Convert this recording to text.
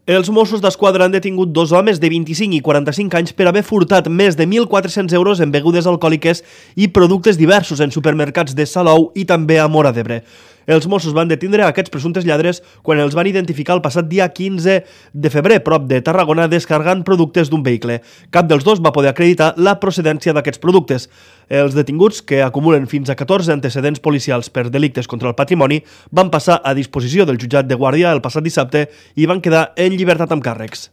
Els Mossos d'Esquadra han detingut dos homes de 25 i 45 anys per haver furtat més de 1.400 euros en begudes alcohòliques i productes diversos en supermercats de Salou i també a Móra d'Ebre. Els Mossos van detindre aquests presumptes lladres quan els van identificar el passat dia 15 de febrer, prop de Tarragona, descarregant productes d'un vehicle. Cap dels dos va poder acreditar la procedència d'aquests productes. Els detinguts, que acumulen fins a 14 antecedents policials per delictes contra el patrimoni, van passar a disposició del jutjat de Guàrdia el passat dissabte i van quedar en llibertat amb càrrecs.